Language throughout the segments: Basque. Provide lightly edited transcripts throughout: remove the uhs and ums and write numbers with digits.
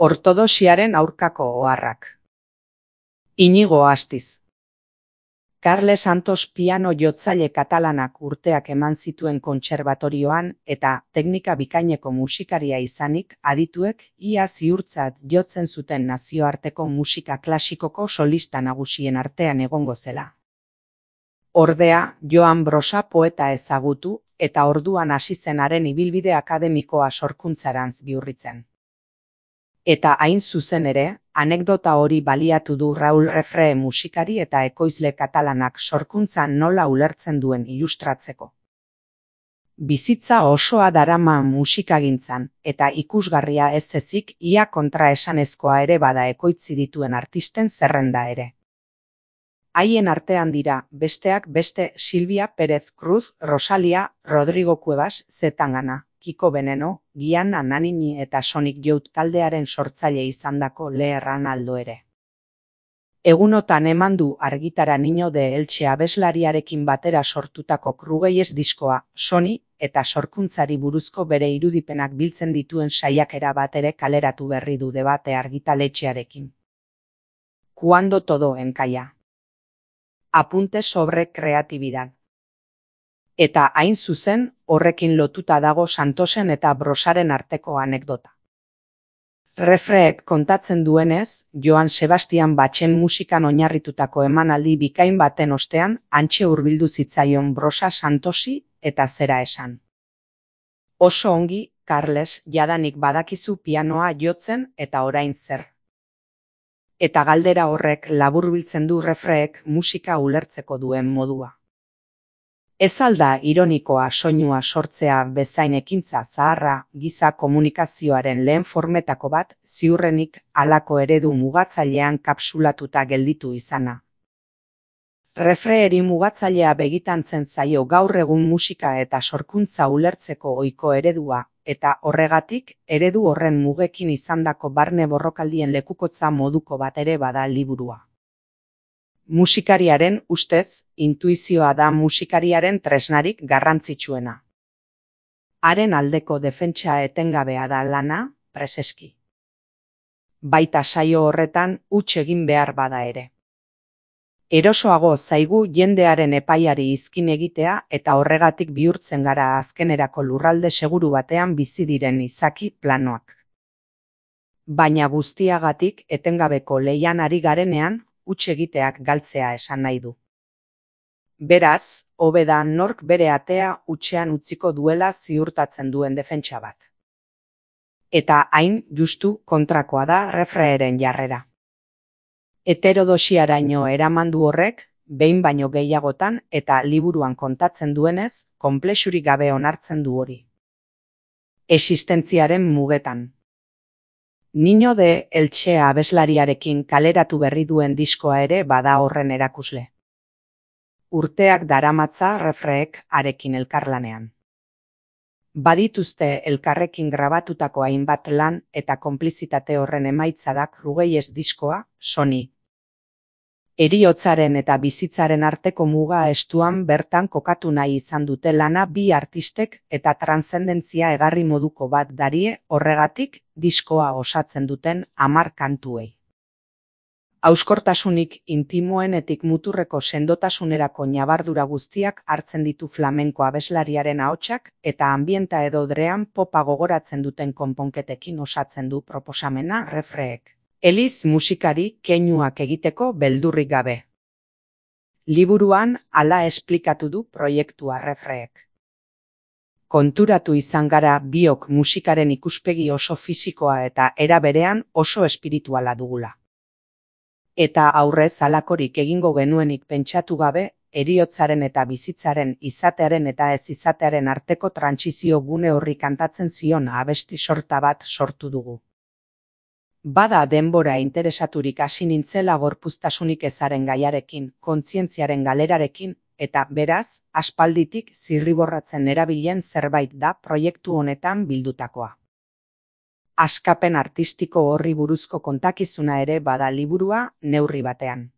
Ortodoxiaren aurkako oharrak. Inigo Astiz. Carles Santos piano jotzaile katalanak urteak eman zituen kontserbatorioan eta teknika bikaineko musikaria izanik adituek ia ziurtzat jotzen zuten nazioarteko musika klasikoko solista nagusien artean egongo zela. Ordea, Joan Brosa poeta ezagutu eta orduan hasi zen haren ibilbide akademikoa sorkuntzarantz bihurritzen. Eta hain zuzen ere, anekdota hori baliatu du Raúl Refré musikari eta ekoizle katalanak sorkuntza nola ulertzen duen ilustratzeko. Bizitza osoa darama musikagintzan eta ikusgarria ez ezik ia kontraesanezkoa ere bada ekoitzi dituen artisten zerrenda ere. Haien artean dira, besteak beste Silvia Pérez Cruz, Rosalia, Rodrigo Cuevas, Zetangana, Kiko Veneno, Gianna Nannini eta Sonic Youth taldearen sortzaile izandako Leherran Aldo ere. Egunotan eman du argitara Niño de Elche abeslariarekin batera sortutako Krugeies diskoa, Sony eta sorkuntzari buruzko bere irudipenak biltzen dituen saiakera bat ere kaleratu berri du Debate argitaletxearekin. Cuando todo encalla. Apunte sobre creatividad. Eta hain zuzen, horrekin lotuta dago Santosen eta Brosaren arteko anekdota. Refréek kontatzen duenez, Joan Sebastian Bachen musikan oinarritutako emanaldi bikain baten ostean hantxe hurbildu zitzaion Brosa Santosi eta zera esan. Oso ongi, Carles, jadanik badakizu pianoa jotzen eta orain zer. Eta galdera horrek laburbiltzen du Refréek musika ulertzeko duen modua. Ez alda ironikoa soinua sortzea bezain ekintza zaharra giza komunikazioaren lehen formetako bat ziurrenik halako eredu mugatzailean kapsulatuta gelditu izana. Refréeri mugatzailea begitantzen zaio gaur egun musika eta sorkuntza ulertzeko ohiko eredua eta horregatik eredu horren mugekin izandako barne borrokaldien lekukotza moduko bat ere bada liburua. Musikariaren ustez, intuizioa da musikariaren tresnarik garrantzitsuena. Haren aldeko defentsa etengabea da lana, preseski. Baita saio horretan huts egin behar bada ere. Erosoago zaigu jendearen epaiari izkin egitea eta horregatik bihurtzen gara azkenerako lurralde seguru batean bizi diren izaki planoak. Baina guztiagatik etengabeko leian ari garenean, huts egiteak galtzea esan nahi du. Beraz, hobe da nork bere atea hutsean utziko duela ziurtatzen duen defentsa bat. Eta hain justu kontrakoa da Refréeren jarrera. Heterodosiaraino eraman du horrek, behin baino gehiagotan eta liburuan kontatzen duenez, konplexurik gabe onartzen du hori. Existentziaren mugetan. Niño de Elche abeslariarekin kaleratu berri duen diskoa ere bada horren erakusle. Urteak daramatza Refréek harekin elkarlanean. Badituzte elkarrekin grabatutako hainbat lan eta konplizitate horren emaitza da Krugeies diskoa, Sony. Heriotzaren eta bizitzaren arteko muga estuan bertan kokatu nahi izan dute lana bi artistek eta transzendentzia egarri moduko bat darie horregatik diskoa osatzen duten 10 kantuei. Hauskortasunik intimoenetik muturreko sendotasunerako ñabardura guztiak hartzen ditu flamenko abeslariaren ahotsak eta ambienta edo drean popa gogoratzen duten konponketekin osatzen du proposamena Refréek. Eliz musikari keinuak egiteko beldurrik gabe. Liburuan hala esplikatu du proiektua Refréek. Konturatu izan gara biok musikaren ikuspegi oso fisikoa eta era berean oso espirituala dugula. Eta aurrez halakorik egingo genuenik pentsatu gabe, heriotzaren eta bizitzaren izatearen eta ez izatearen arteko trantsizio gune horri kantatzen zion abesti sorta bat sortu dugu. Bada denbora interesaturik hasi nintzela gorpuztasunik ezaren gaiarekin, kontzientziaren galerarekin, eta beraz, aspalditik zirriborratzen erabilen zerbait da proiektu honetan bildutakoa. Askapen artistiko horri buruzko kontakizuna ere bada liburua neurri batean.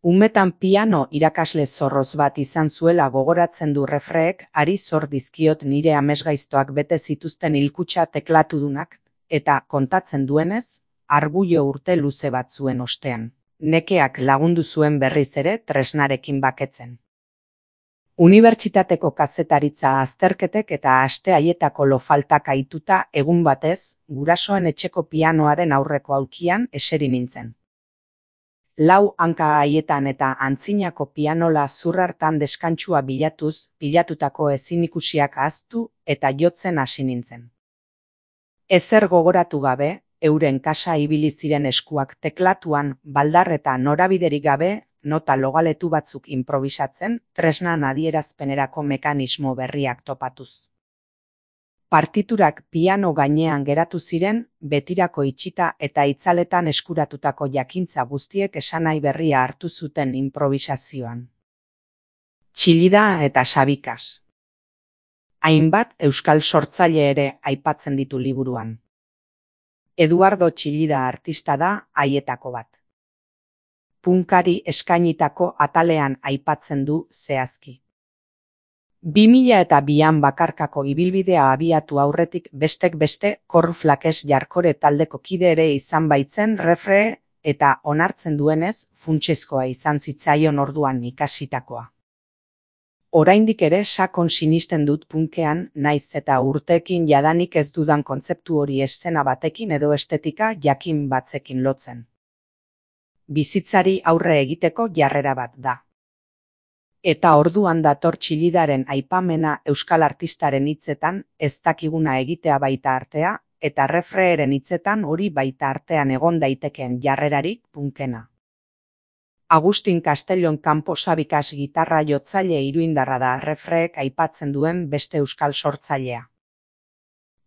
Umetan piano irakasle zorroz bat izan zuela gogoratzen du Refréek, hari zor dizkiot nire amesgaiztoak bete zituzten hilkutxa teklatudunak, eta kontatzen duenez, argudio urte luze bat zuen ostean. Nekeak lagundu zuen berriz ere tresnarekin baketzen. Unibertsitateko kazetaritza azterketek eta aste haietako lofaltak aituta egun batez, gurasoen etxeko pianoaren aurreko aulkian eseri nintzen. 4 hanka haietan eta antzinako pianola zurrartan deskantsua bilatuz, pilatutako ezinikusiak ahaztu eta jotzen hasi nintzen. Ezer gogoratu gabe, euren kasa ibili ziren eskuak teklatuan, baldar eta norabiderik gabe, nota logaletu batzuk improbisatzen, tresnan adierazpenerako mekanismo berriak topatuz. Partiturak piano gainean geratu ziren, betirako itxita eta itzaletan eskuratutako jakintza guztiek esanahi berria hartu zuten improvisazioan. Txillida eta Sabikas. Hainbat euskal sortzaile ere aipatzen ditu liburuan. Eduardo Txillida artista da haietako bat. Punkari eskainitako atalean aipatzen du zehazki. 2002an bakarkako ibilbidea abiatu aurretik bestek beste Cornflakes Jarkore taldeko kide ere izan baitzen Refre eta onartzen duenez funtsezkoa izan zitzaion orduan ikasitakoa. Oraindik ere sakon sinisten dut punkean, naiz eta urteekin jadanik ez dudan kontzeptu hori eszena batekin edo estetika jakin batzekin lotzen. Bizitzari aurre egiteko jarrera bat da. Eta orduan dator Txillidaren aipamena euskal artistaren hitzetan ez dakiguna egitea baita artea, eta Refreeren hitzetan hori baita artean egon daitekeen jarrerarik punkena. Agustin Castellon Campo Sabikas gitarra jotzaile iruindarra da Refreek aipatzen duen beste euskal sortzailea.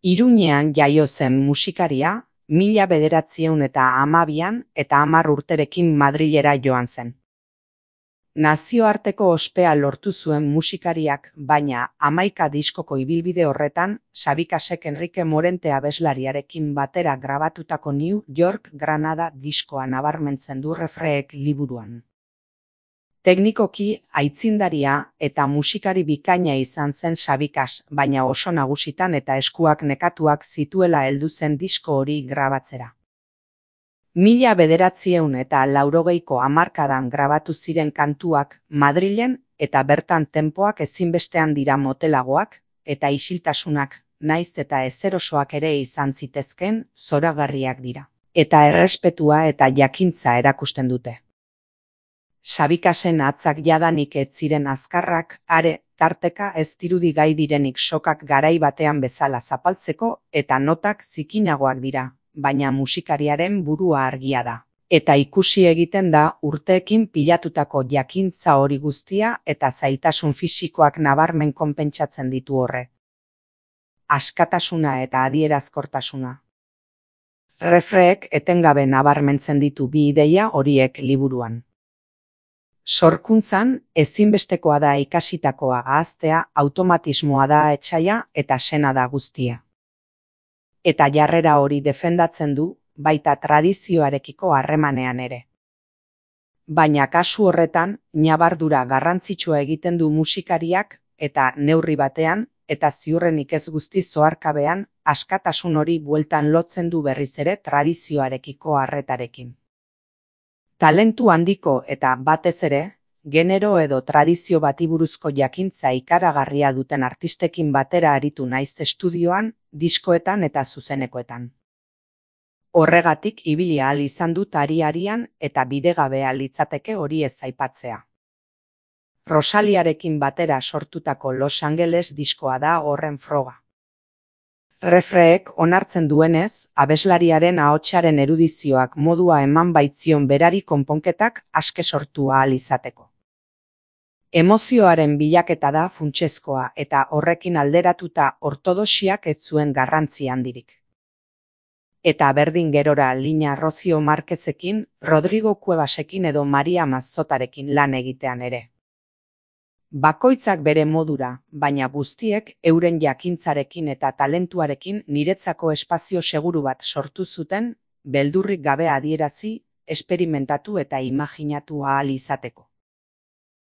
Iruñean jaio zen musikaria, 1912an eta 10 urterekin Madrilera joan zen. Nazioarteko ospea lortu zuen musikariak, baina 11 diskoko ibilbide horretan, Sabikasek Enrique Morente abeslariarekin batera grabatutako New York Granada diskoa nabarmentzen du Refreek liburuan. Teknikoki aitzindaria eta musikari bikaina izan zen Sabikas, baina oso nagusitan eta eskuak nekatuak zituela heldu zen disko hori grabatzera. 1980ko hamarkadan grabatu ziren kantuak Madrilen eta bertan tenpoak ezinbestean dira motelagoak eta isiltasunak, naiz eta ezerosoak ere izan zitezken, zoragarriak dira. Eta errespetua eta jakintza erakusten dute. Sabikasen atzak jadanik ez ziren azkarrak, are, tarteka ez dirudi gai direnik sokak garai batean bezala zapaltzeko eta notak zikinagoak dira, baina musikariaren burua argia da. Eta ikusi egiten da urteekin pilatutako jakintza hori guztia eta zailtasun fisikoak nabarmen konpentsatzen ditu horre. Askatasuna eta adierazkortasuna. Refreek etengabe nabarmentzen ditu bi ideia horiek liburuan. Sorkuntzan, ezinbestekoa da ikasitakoa ahaztea, automatismoa da etsaia eta sena da guztia. Eta jarrera hori defendatzen du, baita tradizioarekiko harremanean ere. Baina kasu horretan, ñabardura garrantzitsua egiten du musikariak eta neurri batean, eta ziurrenik ez guztiz oharkabean, askatasun hori bueltan lotzen du berriz ere tradizioarekiko harretarekin. Talentu handiko eta batez ere, genero edo tradizio bati buruzko jakintza ikaragarria duten artistekin batera aritu naiz estudioan, diskoetan eta zuzenekoetan. Horregatik ibili ahal izan dut ari-arian eta bidegabea litzateke hori ez aipatzea. Rosaliarekin batera sortutako Los Angeles diskoa da horren froga. Refreek onartzen duenez, abeslariaren ahotsaren erudizioak modua eman baitzion berari konponketak aske sortu ahal izateko. Emozioaren bilaketa da funtsezkoa eta horrekin alderatuta ortodoxiak ez zuen garrantzi handirik. Eta berdin gerora Lina Rocio Marquezekin, Rodrigo Cuevasekin edo Maria Mazzotarekin lan egitean ere. Bakoitzak bere modura, baina guztiek euren jakintzarekin eta talentuarekin niretzako espazio seguru bat sortu zuten, beldurrik gabe adierazi, esperimentatu eta imaginatu ahal izateko.